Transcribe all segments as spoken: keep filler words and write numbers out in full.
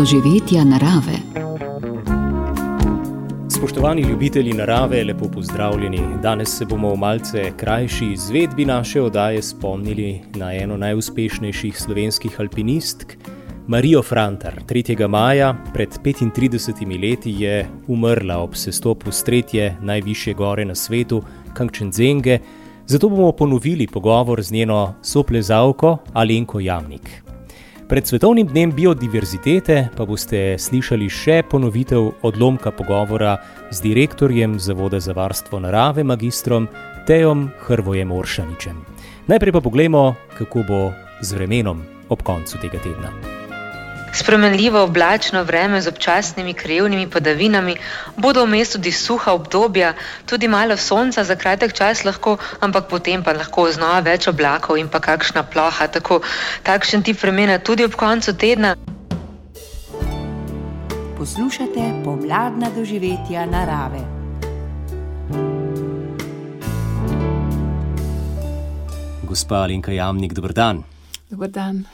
doživetja narave. Spoštovani ljubitelji narave, lepo pozdravljeni. Danes se bomo v malce krajši izvedbi naše oddaje spomnili na eno najuspešnejših slovenskih alpinistk, Marijo Frantar. tretjega maja pred petintridesetimi leti je umrla ob sestopu s tretje najvišje gore na svetu, Kangchenjunge, zato bomo ponovili pogovor z njeno soplezalko Alenko Jamnik. Pred svetovnim dnem biodiverzitete pa boste slišali še ponovitev odlomka pogovora z direktorjem Zavoda za varstvo narave, magistrom Tejom Hrvojem Oršaničem. Najprej pa poglejmo, kako bo z vremenom ob koncu tega tedna. Spremenljivo oblačno vreme z občasnimi krajevnimi padavinami, bodo vmes tudi suha obdobja, tudi malo sonca za kratek čas lahko, ampak potem pa lahko znova več oblakov in pa kakšna ploha, tako takšen tip vremena tudi ob koncu tedna. Poslušate pomladna doživetja narave. Gospa Alenka Jamnik, dober dan. Dober dan.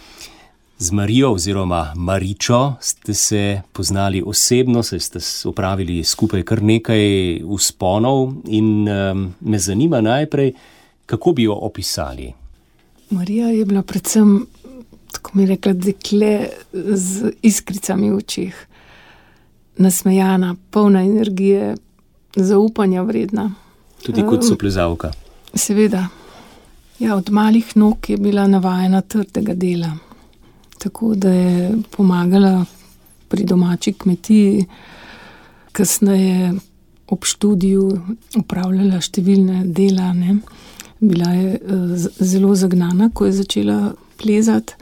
Z Marijo oziroma Maričo ste se poznali osebno, saj ste opravili skupaj kar nekaj vzponov in um, me zanima najprej, kako bi jo opisali. Marija je bila predvsem, tako mi rekla, dekle z iskricami v očih, nasmejana, polna energije, zaupanja vredna. Tudi kot soplezalka. Seveda. Ja, od malih nog je bila navajena trdega dela. Tako da je pomagala pri domači kmetiji, kasneje ob študiju opravljala številne dela, ne. Bila je zelo zagnana, ko je začela plezati.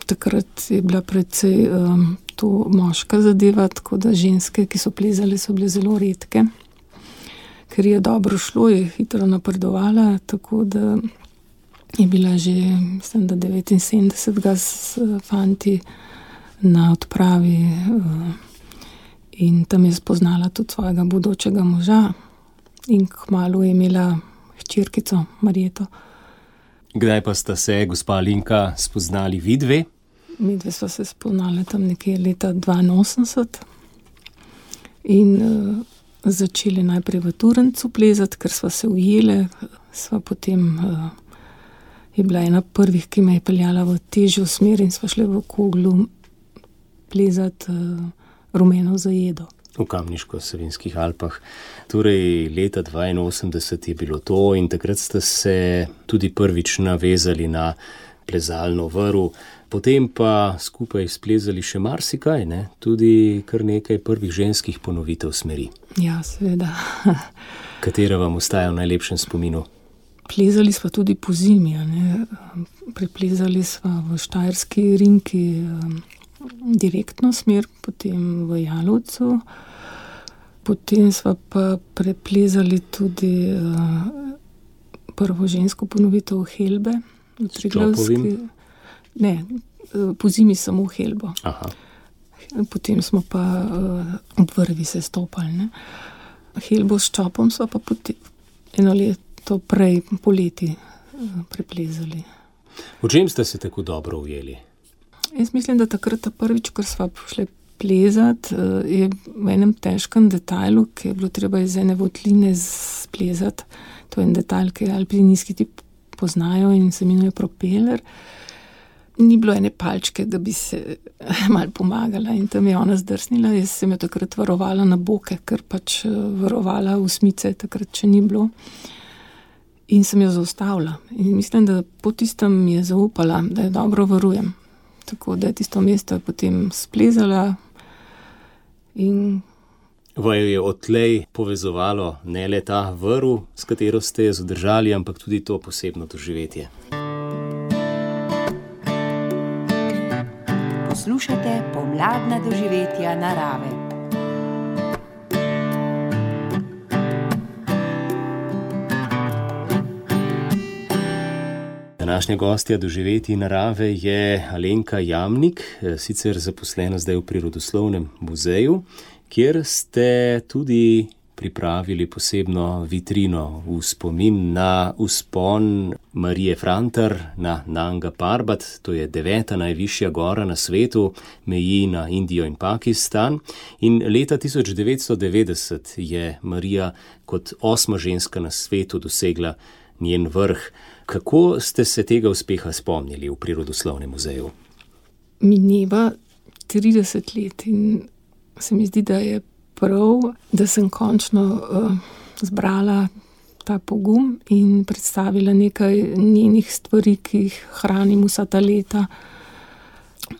Takrat je bila predvsej um, to moška zadeva, tako da ženske, ki so plezale, so bile zelo redke. Ker je dobro šlo, je hitro napredovala, tako da je bila že, mislim, da devetinsedemdesetega s fanti na odpravi in tam je spoznala tudi svojega bodočega moža in kmalu je imela hčerkico Marjeto. Kdaj pa sta se, gospa Alenka, spoznali vidve? Midve sva se spoznali tam nekje leta dvainosemdeset in uh, začeli najprej v Turencu plezati, ker sva se ujele, sva potem uh, je bila ena prvih, ki me je peljala v težjo smer in sva šli v Koglu plezati uh, rumeno zajedo. V Kamniško-Savinjskih Alpah. Torej, leta dvainosemdeset je bilo to in takrat ste se tudi prvič navezali na plezalno vrv, potem pa skupaj splezali še marsikaj, ne? Tudi kar nekaj prvih ženskih ponovitev smeri. Ja, seveda. Katera vam ostaja v najlepšem spominu? Plezali sva tudi po zimi, ne. Preplezali sva v Štajerski rinki direktno smer, potem v Jalovcu, potem sva pa preplezali tudi uh, prvo žensko ponovitev Helbe. S Čopovim? Ne, po zimi samo Helbo. Aha. Potem smo pa uh, ob vrvi se stopali, ne. Helbo s Čopom sva pa potem eno leto to prej poleti preplezali. V čem ste se tako dobro ujeli? Jaz mislim, da takrat ta prvič, ko sva šli plezati, je v enem težkem detajlu, ki je bilo treba iz ene votline splezati. To je en detajl, ki alpinisti ti poznajo in se imenuje propeler. Ni bilo ene palčke, da bi se malo pomagala in tam je ona zdrsnila. Jaz sem jo takrat varovala na boke, ker pač varovala osmice, takrat še ni bilo. In sem jo zaustavila. In mislim, da po tistem mi je zaupala, da jo dobro varujem. Tako da je tisto mesto potem splezala in... Vaju je odtlej povezovalo ne le ta vrv, s katero ste zadržali, ampak tudi to posebno doživetje. Poslušate pomladna doživetja narave. Današnja gostja doživetij narave je Alenka Jamnik, sicer zaposlena zdaj v Prirodoslovnem muzeju, kjer ste tudi pripravili posebno vitrino v spomin na vzpon Marije Frantar na Nanga Parbat, to je deveta najvišja gora na svetu, meji na Indijo in Pakistan. In leta tisoč devetsto devetdeset je Marija kot osma ženska na svetu dosegla njen vrh. Kako ste se tega uspeha spomnili v Prirodoslovnem muzeju? Mineva trideset let in se mi zdi, da je prav, da sem končno uh, zbrala ta pogum in predstavila nekaj njenih stvari, ki jih hranim vsa ta leta.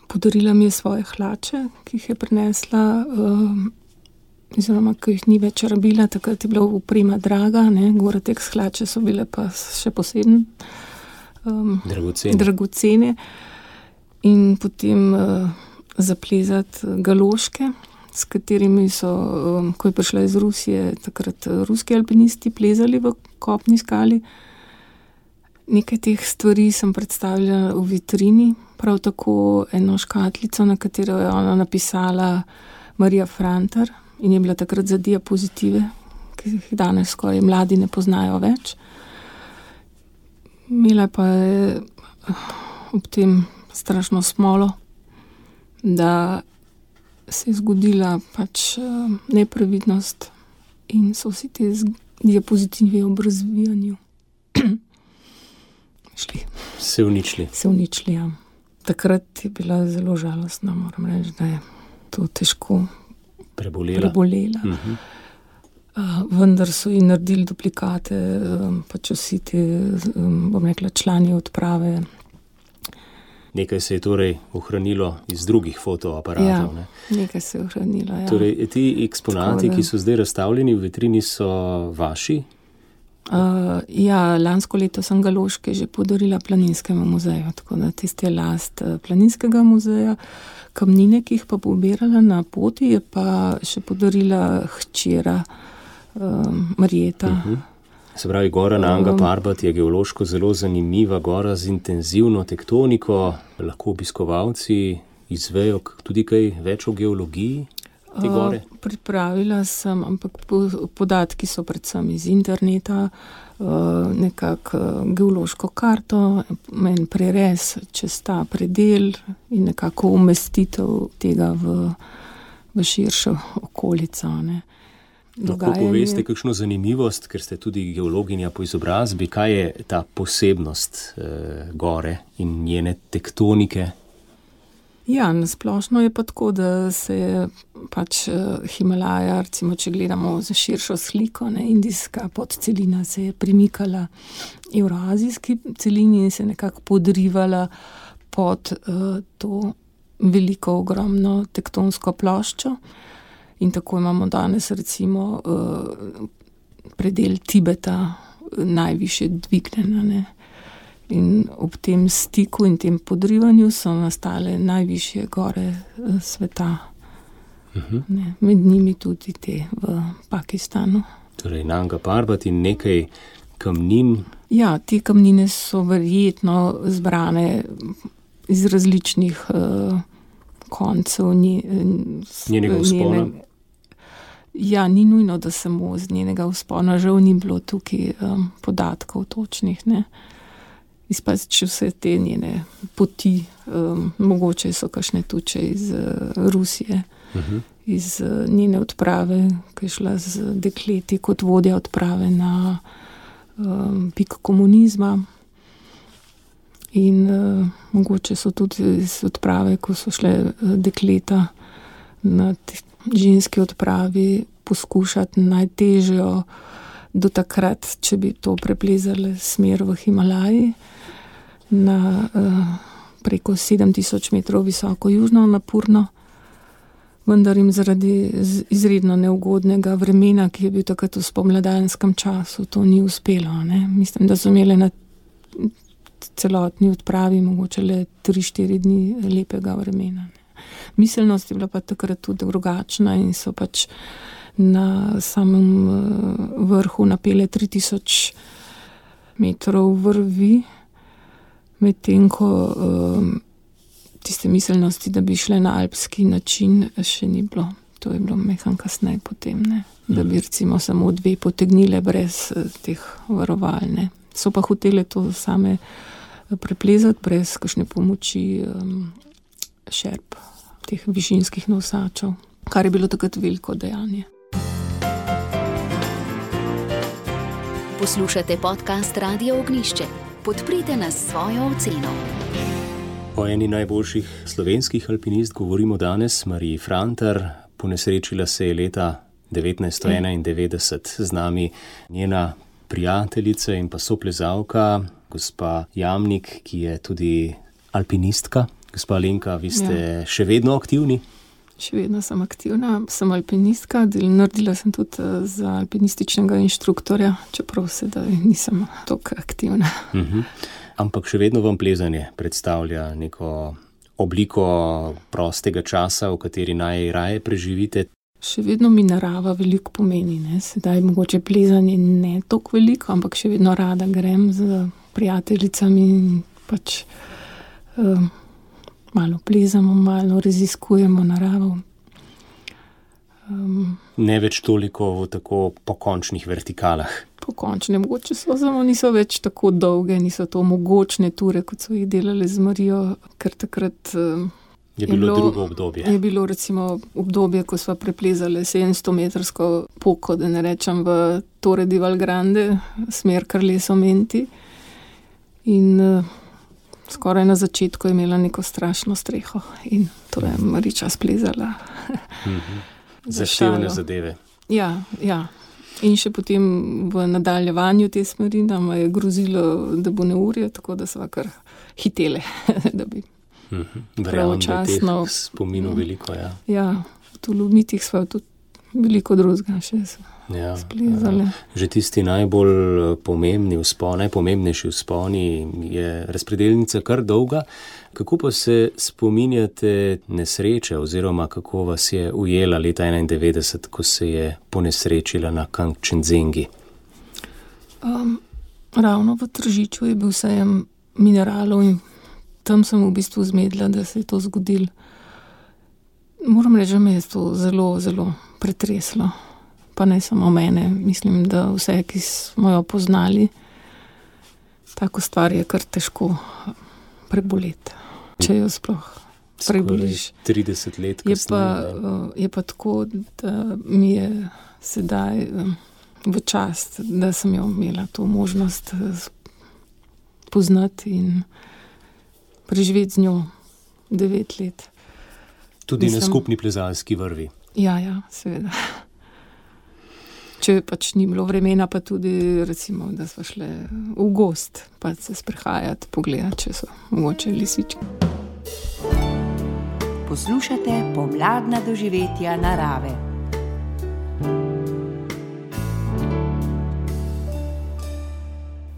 Podarila mi je svoje hlače, ki jih je prinesla, uh, oziroma ki jih ni več rabila, takrat je bila oprema draga, ne, Gore-Tex hlače so bile pa še posebno um, dragocene. dragocene. In potem uh, zaplezati galoške, s katerimi so, um, ko je prišla iz Rusije, takrat ruski alpinisti plezali v kopni skali. Nekaj teh stvari sem predstavila v vitrini, prav tako eno škatlico, na katero je ona napisala Marija Frantar in je bila takrat za diapozitive, ki jih danes skoraj mladi ne poznajo več. Imela pa je ob tem strašno smolo, da se je zgodila pač neprevidnost in so vsi te diapozitive ob razvijanju šli. Se uničili. Se uničili, ja. Takrat je bila zelo žalostna, moram reči, da je to težko prebolela. prebolela. Uh-huh. Uh, vendar so ji naredili duplikate, um, pač vsi te, um, bom rekla, člani odprave. Nekaj se je torej ohranilo iz drugih fotoaparatov. Ja, ne? nekaj se je ohranilo, ja. Torej, ti eksponati, ki so zdaj razstavljeni v vitrini, so vaši? Uh, ja, lansko leto sem galoške že podarila Planinskemu muzeju, tako da tiste last Planinskega muzeja. Kamnine, ki jih pa pobirala na poti, je pa še podarila hčera um, Marjeta. Uh-huh. Se pravi, gora Nanga Parbat je geološko zelo zanimiva gora z intenzivno tektoniko. Lahko obiskovalci izvejo tudi kaj več o geologiji te gore? Uh, pripravila sem, ampak podatki so predvsem iz interneta, uh, nekako geološko karto, en prerez čez ta predel in nekako umestitev tega v, v širšo okolico, ne. Lahko poveste kakšno zanimivost, ker ste tudi geologinja po izobrazbi, kaj je ta posebnost eh, gore in njene tektonike? Ja, nasplošno je pa tako, da se je pač Himalaja, recimo, če gledamo za širšo sliko, ne, indijska podcelina se je premikala evroazijski celini in se nekako podrivala pod uh, to veliko, ogromno tektonsko ploščo. In tako imamo danes recimo predel Tibeta najviše dvignjena, ne. In ob tem stiku in tem podrivanju so nastale najvišje gore sveta. Uh-huh. Ne, med njimi tudi te v Pakistanu. Torej Nanga Parbat in nekaj kamnin. Ja, te kamnine so verjetno zbrane iz različnih uh, koncev nje, njenega vzpona. Njene, Ja, ni nujno, da samo z njenega vzpona, žal ni bilo tukaj um, podatkov točnih, ne. Izpač vse te njene poti, um, mogoče so kakšne tuče iz uh, Rusije, uh-huh. iz uh, njene odprave, ki je šla z dekleti kot vodja odprave na um, pik komunizma. In uh, mogoče so tudi iz odprave, ko so šle uh, dekleta na te ženski odpravi poskušati najtežjo do takrat, če bi to preplezali smer v Himalaji, na uh, preko sedem tisoč metrov visoko južno napurno, vendar jim zaradi izredno neugodnega vremena, ki je bil takrat v spomladanskem času, to ni uspelo, ne. Mislim, da so imeli na celotni odpravi mogoče le tri štiri dni lepega vremena, ne. Miselnost je bila pa takrat tudi drugačna in so pač na samem vrhu napele tri tisoč metrov vrvi, medtem ko um, tiste miselnosti, da bi šle na alpski način, še ni bilo. To je bilo mehan kasneje potem, ne? Da bi recimo samo dve potegnile brez teh varoval. Ne? So pa hotele to same preplezati brez kakšne pomoči um, šerp, teh višinskih nosačev, kar je bilo takrat veliko dejanje. Poslušate podcast Radio Ognjišče. Podprite nas s svojo oceno. O eni najboljših slovenskih alpinist govorimo danes, Mariji Frantar. Ponesrečila se je leta devetnajststo enaindevetdeset. Z nami njena prijateljica in pa soplezalka, gospa Jamnik, ki je tudi alpinistka. Gospa Alenka, vi ste ja. še vedno aktivni? Še vedno sem aktivna, sem alpinistka, naredila sem tudi za alpinističnega inštruktorja, čeprav sedaj nisem toliko aktivna. Uh-huh. Ampak še vedno vam plezanje predstavlja neko obliko prostega časa, v kateri najraje preživite? Še vedno mi narava veliko pomeni, ne? Sedaj mogoče plezanje ne toliko veliko, ampak še vedno rada grem z prijateljicami in pač um, malo plezamo, malo raziskujemo naravo. Um, ne več toliko v tako pokončnih vertikalah. Pokončne, mogoče so, samo niso več tako dolge, niso to mogočne ture, kot so jih delali z Marijo, ker takrat um, je, je bilo drugo obdobje. Je bilo recimo obdobje, ko sva preplezali sedemsto metrsko poko, da ne rečem v Torre di Valgrande, smer Carleso-Menti. In uh, skoraj na začetku je imela neko strašno streho in to je Mariča splezala. Mm-hmm. Zaštevne zadeve. Ja, ja. In še potem v nadaljevanju te smeri nam je grozilo, da bo neurje, tako da sva kar hitele, da bi mm-hmm. pravočasno... Verjamem, da teh spominov veliko, ja. Ja, v Tolomitih sva tudi veliko drugega še ja, splezale. Ja. Že tisti najbolj pomembni vzpon, najpomembnejši vzponi je razpredelnica kar dolga. Kako pa se spominjate nesreče oziroma kako vas je ujela leta enaindevetdeset, ko se je ponesrečila na Kangchenjungi? Um, ravno v Tržiču je bil sejem mineralov in tam sem v bistvu zmedla, da se je to zgodilo. Moram reči, da me je to zelo, zelo pretreslo. Pa ne samo mene, mislim, da vse, ki smo jo poznali, tako stvar je kar težko preboleti. Če jo sploh preboliš. trideset let kasneje. Je pa, je pa tako, da mi je sedaj v čast, da sem jo imela to možnost poznati in preživeti z njo devet let. Tudi Mislim, na skupni plezalski vrvi. Ja, ja, seveda. Če pač ni bilo vremena, pa tudi recimo, da smo šle v gozd, pa se sprehajati, pogledati, če so mogoče lisički. Poslušate pomladna doživetja narave.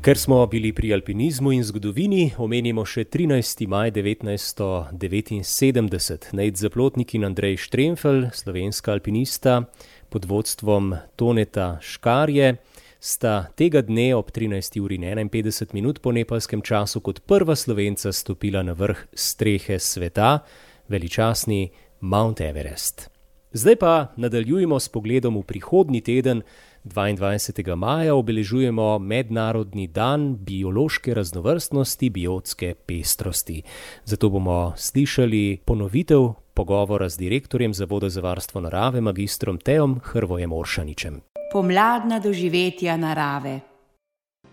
Ker smo bili pri alpinizmu in zgodovini, omenimo še trinajsti maj devetnajststo devetinsedemdeset. Nejc Zaplotnik in Andrej Štremfelj, slovenska alpinista, pod vodstvom Toneta Škarje, sta tega dne ob trinajsti uri in enainpetdeset minut po nepalskem času kot prva Slovenca stopila na vrh strehe sveta, veličastni Mount Everest. Zdaj pa nadaljujemo s pogledom v prihodnji teden. dvaindvajsetega maja obeležujemo Mednarodni dan biološke raznovrstnosti, biotske pestrosti. Zato bomo slišali ponovitev pogovora z direktorjem Zavoda za varstvo narave, magistrom Teom Hrvojem Oršaničem. Pomladna doživetja narave.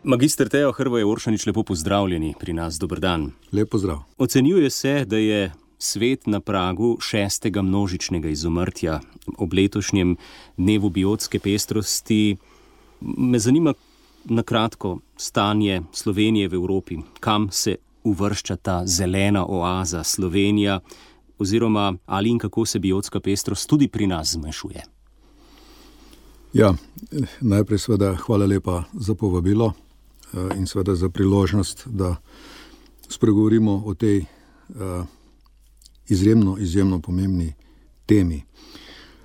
Magister Teo Hrvoje Oršanič, lepo pozdravljeni pri nas, dober dan. Lep pozdrav. Ocenjuje se, da je svet na pragu šestega množičnega izumrtja. Ob letošnjem dnevu biotske pestrosti me zanima na kratko stanje Slovenije v Evropi. Kam se uvršča ta zelena oaza Slovenija oziroma ali in kako se biotska pestrost tudi pri nas zmanjšuje? Ja, najprej seveda hvala lepa za povabilo in seveda za priložnost, da spregovorimo o tej uh, izjemno, izjemno pomembni temi.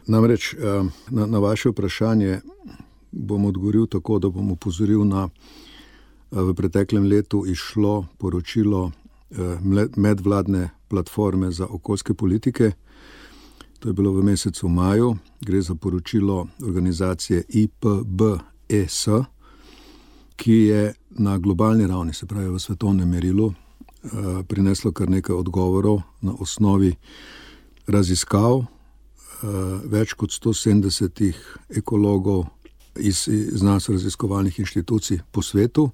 Namreč na, na vaše vprašanje bom odgovoril tako, da bom opozoril na v preteklem letu išlo poročilo medvladne platforme za okoljske politike, To je bilo v mesecu maju. Gre za poročilo organizacije I P B E S, ki je na globalni ravni, se pravi v svetovnem merilu, prineslo kar nekaj odgovorov na osnovi raziskav več kot sto sedemdesetih ekologov iz znanstveno-raziskovalnih inštitucij po svetu.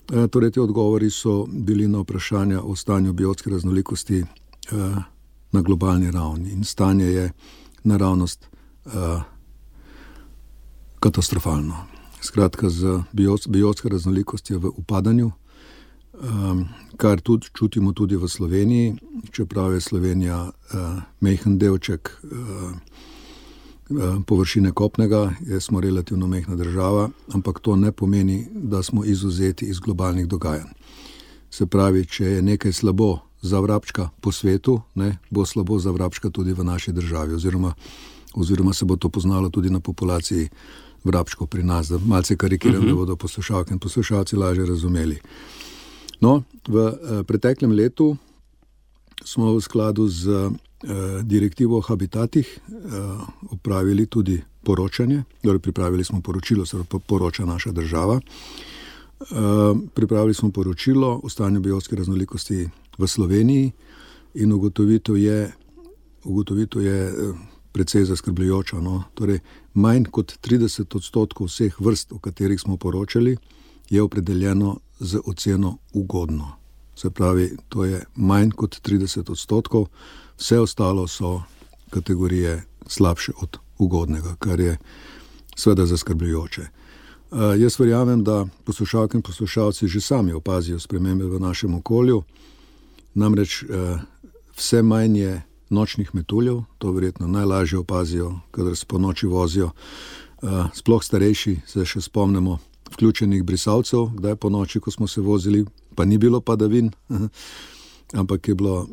Torej, te odgovori so bili na vprašanja o stanju biotske raznolikosti na globalni ravni. In stanje je naravnost katastrofalno. Skratka, z biotska raznolikost je v upadanju, kar tudi čutimo tudi v Sloveniji, čeprav je Slovenija majhen delček površine kopnega, smo relativno majhna država, ampak to ne pomeni, da smo izvzeti iz globalnih dogajanj. Se pravi, če je nekaj slabo za vrabčka po svetu, ne, bo slabo za vrabčka tudi v naši državi, oziroma, oziroma se bo to poznalo tudi na populaciji vrabčkov pri nas, da malce karikiram, uh-huh. da bodo poslušalke in poslušalci lažje razumeli. No, v eh, preteklem letu smo v skladu z eh, direktivo o habitatih eh, opravili tudi poročanje, torej pripravili smo poročilo, se poroča naša država. Eh, pripravili smo poročilo o stanju biotske raznolikosti v Sloveniji in ugotovitev je, ugotovitev je eh, precej zaskrbljujoča. No? Torej, manj kot trideset odstotkov vseh vrst, o katerih smo poročali, je opredeljeno z oceno ugodno. Se pravi, to je manj kot trideset odstotkov, vse ostalo so kategorije slabše od ugodnega, kar je seveda zaskrbljujoče. Uh, jaz verjamem, da poslušalke in poslušalci že sami opazijo spremembe v našem okolju, namreč uh, vse manj je nočnih metuljev, to verjetno najlažje opazijo, kadar se po noči vozijo. Uh, sploh starejši se še spomnimo vključenih brisalcev, kdaj po noči, ko smo se vozili, pa ni bilo padavin, ampak je bilo uh,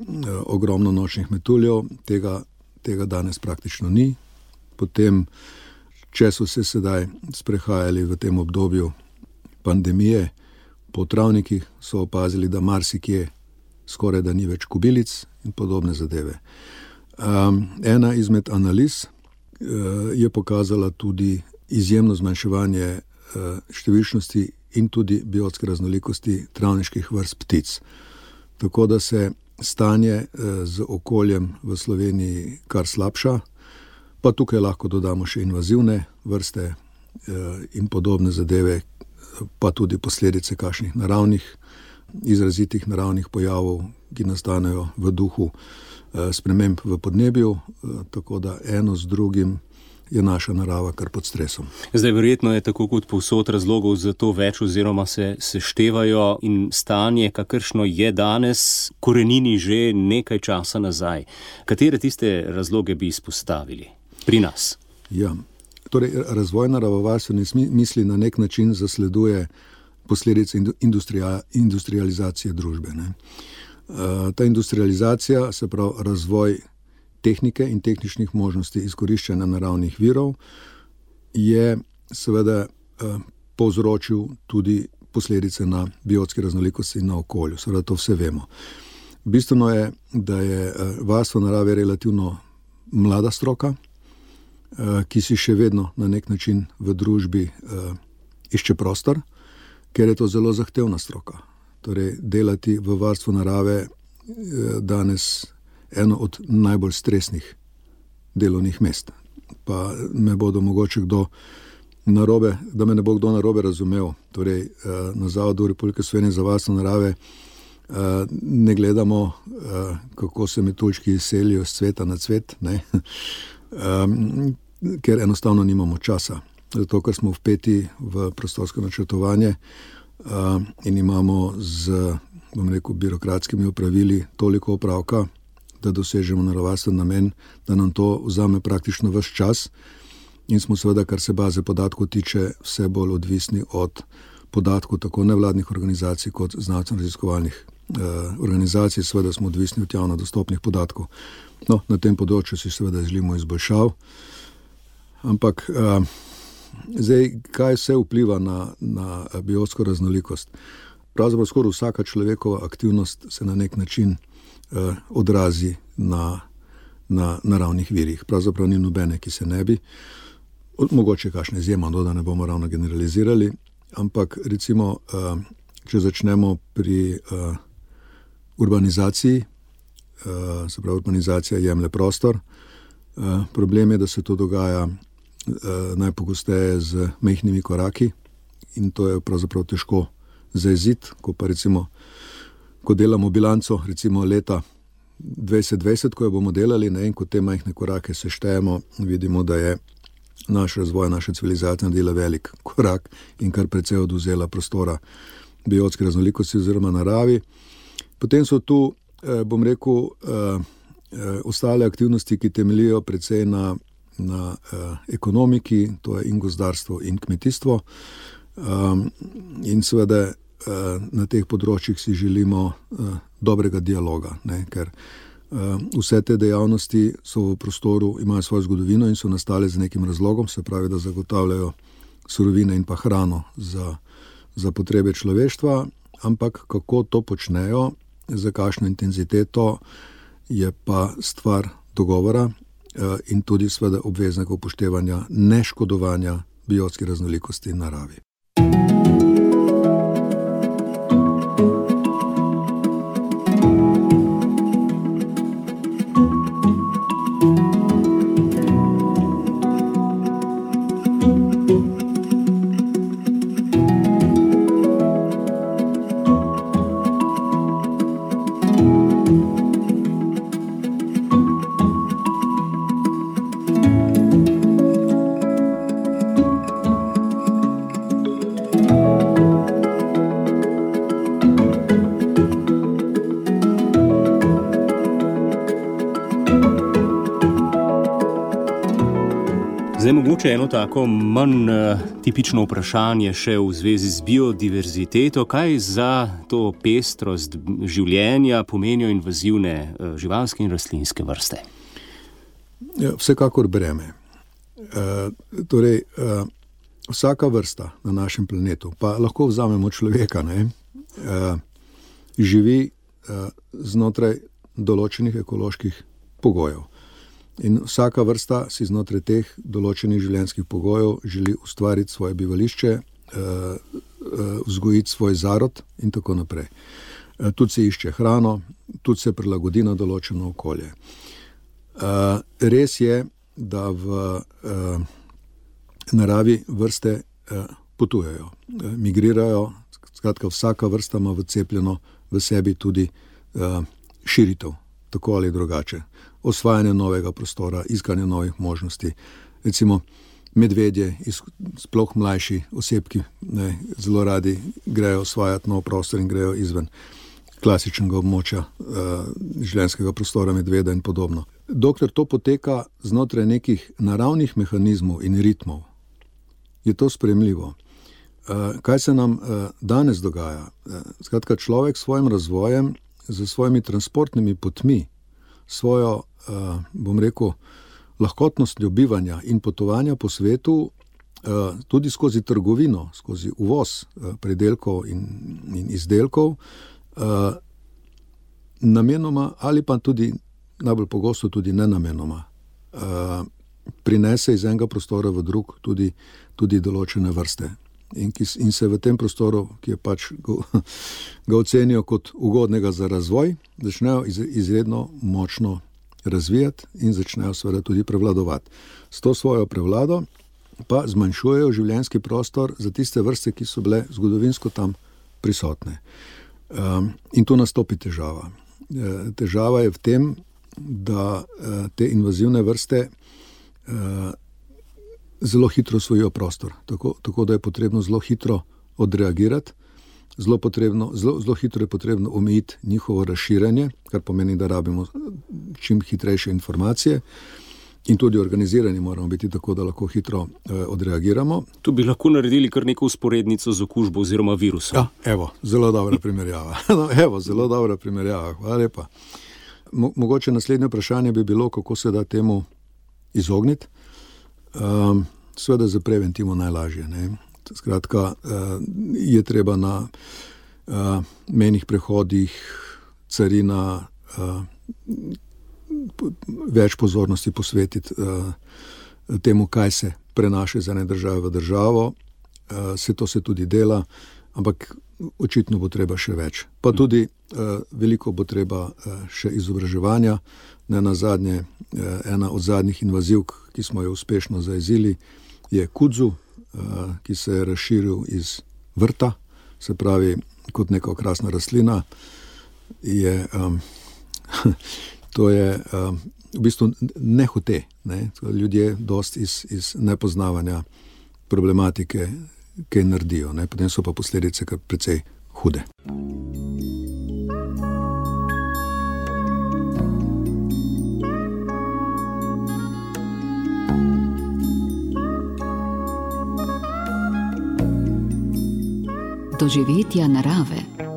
ogromno nočnih metuljev, tega, tega danes praktično ni. Potem, če so se sedaj sprehajali v tem obdobju pandemije po travnikih, so opazili, da marsikje skoraj da ni več kobilic in podobne zadeve. Um, ena izmed analiz uh, je pokazala tudi izjemno zmanjševanje uh, številčnosti in tudi biotske raznolikosti travniških vrst ptic. Tako da se stanje uh, z okoljem v Sloveniji kar slabša, pa tukaj lahko dodamo še invazivne vrste uh, in podobne zadeve, pa tudi posledice kakšnih naravnih izrazitih naravnih pojavov, ki nastanejo v duhu eh, sprememb v podnebju, eh, tako da eno z drugim je naša narava kar pod stresom. Zdaj verjetno je tako kot povsod razlogov za to več oziroma se seštevajo in stanje, kakršno je danes, korenini že nekaj časa nazaj. Katere tiste razloge bi izpostavili pri nas? Ja, torej razvoj naravovarstvene misli na nek način zasleduje posledice industrializacije družbe. Ne. Ta industrializacija, se pravi razvoj tehnike in tehničnih možnosti izkoriščanja naravnih virov, je seveda povzročil tudi posledice na biotski raznolikosti in na okolju. Seveda to vse vemo. Bistveno je, da je varstvo narave relativno mlada stroka, ki si še vedno na nek način v družbi išče prostor, ker je to zelo zahtevna stroka. Torej, delati v varstvu narave je danes eno od najbolj stresnih delovnih mest. Pa me bodo mogoče kdo narobe, da me ne bo kdo narobe razumel. Torej, na Zavodu Republike Slovenije za varstvo narave ne gledamo, kako se metuljčki selijo z cveta na cvet, ne? Ker enostavno nimamo časa. Zato, ker smo vpeti v prostorsko načrtovanje uh, in imamo z, bom rekel, birokratskimi opravili toliko opravka, da dosežemo naravovarstven namen, da nam to vzame praktično ves čas in smo seveda, kar se baze podatkov tiče, vse bolj odvisni od podatkov tako nevladnih organizacij kot znanstveno-raziskovalnih uh, organizacij, seveda smo odvisni od javno dostopnih podatkov. No, na tem področju si seveda želimo izboljšav, ampak uh, zdaj, kaj vse vpliva na, na biotsko raznolikost? Pravzaprav skoraj vsaka človekova aktivnost se na nek način eh, odrazi na, na naravnih virih. Pravzaprav ni nobene, ki se ne bi, mogoče kakšne izjema, no, da ne bomo ravno generalizirali, ampak recimo, če začnemo pri urbanizaciji, se pravi, urbanizacija jemlje prostor, problem je, da se to dogaja najpogosteje z majhnimi koraki in to je pravzaprav težko zaeziti, ko pa recimo, ko delamo bilanco, recimo leta dvajset dvajset, ko jo bomo delali, ne, in ko te majhne korake seštejemo, vidimo, da je naš razvoj, naša civilizacija naredila velik korak in kar precej odvzela prostora biotske raznolikosti oziroma naravi. Potem so tu, bom rekel, ostale aktivnosti, ki temeljijo precej na, na ekonomiki, to je in gozdarstvo in kmetijstvo. In seveda na teh področjih si želimo dobrega dialoga, ne, ker vse te dejavnosti so v prostoru, imajo svojo zgodovino in so nastale z nekim razlogom, se pravi, da zagotavljajo surovine in pa hrano za, za potrebe človeštva, ampak kako to počnejo, za kakšno intenziteto, je pa stvar dogovora in tudi seveda obveznega upoštevanja neškodovanja biotske raznolikosti in naravi. Zdaj mogoče eno tako manj uh, tipično vprašanje še v zvezi z biodiverziteto. Kaj za to pestrost življenja pomenijo invazivne uh, živalske in rastlinske vrste? Ja, vsekakor breme. Uh, torej, uh, vsaka vrsta na našem planetu, pa lahko vzamemo človeka, ne, uh, živi uh, znotraj določenih ekoloških pogojev. In vsaka vrsta si znotraj teh določenih življenjskih pogojev želi ustvariti svoje bivališče, vzgojiti svoj zarod in tako naprej. Tudi se išče hrano, tudi se prilagodi na določeno okolje. Res je, da v naravi vrste potujejo, migrirajo, skratka vsaka vrsta ima vcepljeno v sebi tudi širitev, tako ali drugače. Osvajanje novega prostora, iskanje novih možnosti. Recimo medvedje, sploh mlajši osebki, ne, zelo radi grejo osvajati nov prostor in grejo izven klasičnega območja uh, življenjskega prostora medveda in podobno. Dokler to poteka znotraj nekih naravnih mehanizmov in ritmov, je to sprejemljivo. Uh, kaj se nam uh, danes dogaja? Uh, skratka, človek s svojim razvojem, z svojimi transportnimi potmi, svojo, uh, bom rekel, lahkotnostjo bivanja in potovanja po svetu, uh, tudi skozi trgovino, skozi uvoz uh, predelkov in, in izdelkov, uh, namenoma ali pa tudi, najbolj pogosto tudi nenamenoma, uh, prinese iz enega prostora v drug tudi, tudi določene vrste. In, ki, in se v tem prostoru, ki je pač ga, ga ocenijo kot ugodnega za razvoj, začnejo iz, izredno močno razvijati in začnejo seveda tudi prevladovati. S to svojo prevlado pa zmanjšujejo življenjski prostor za tiste vrste, ki so bile zgodovinsko tam prisotne. Um, in tu nastopi težava. E, težava je v tem, da e, te invazivne vrste e, zelo hitro osvojijo prostor, tako, tako da je potrebno zelo hitro odreagirati, zelo, potrebno, zelo, zelo hitro je potrebno omejiti njihovo razširjanje, kar pomeni, da rabimo čim hitrejše informacije in tudi organizirani moramo biti tako, da lahko hitro eh, odreagiramo. Tu bi lahko naredili kar neko usporednico z okužbo oziroma virusom. Ja, evo, zelo dobra primerjava. no, evo, zelo dobra primerjava, hvala lepa. Mo- mogoče naslednje vprašanje bi bilo, kako se da temu izogniti. Um, seveda za preventivo najlažje. Ne? Skratka, uh, je treba na uh, mejnih prehodih, carina, uh, več pozornosti posvetiti temu, kaj se prenaša iz ene države v državo. Se to se tudi dela, ampak očitno bo treba še več. Pa tudi veliko bo treba še izobraževanja. Ne nazadnje, ena od zadnjih invazivk, ki smo jo uspešno zajezili, je kudzu, ki se je razširil iz vrta, se pravi kot neka okrasna rastlina. Je, um, to je um, v bistvu nehote, ne? Ljudje dost iz, iz nepoznavanja problematike, kaj naredijo, ne? Potem so pa posledice kar precej hude. Doživetja narave.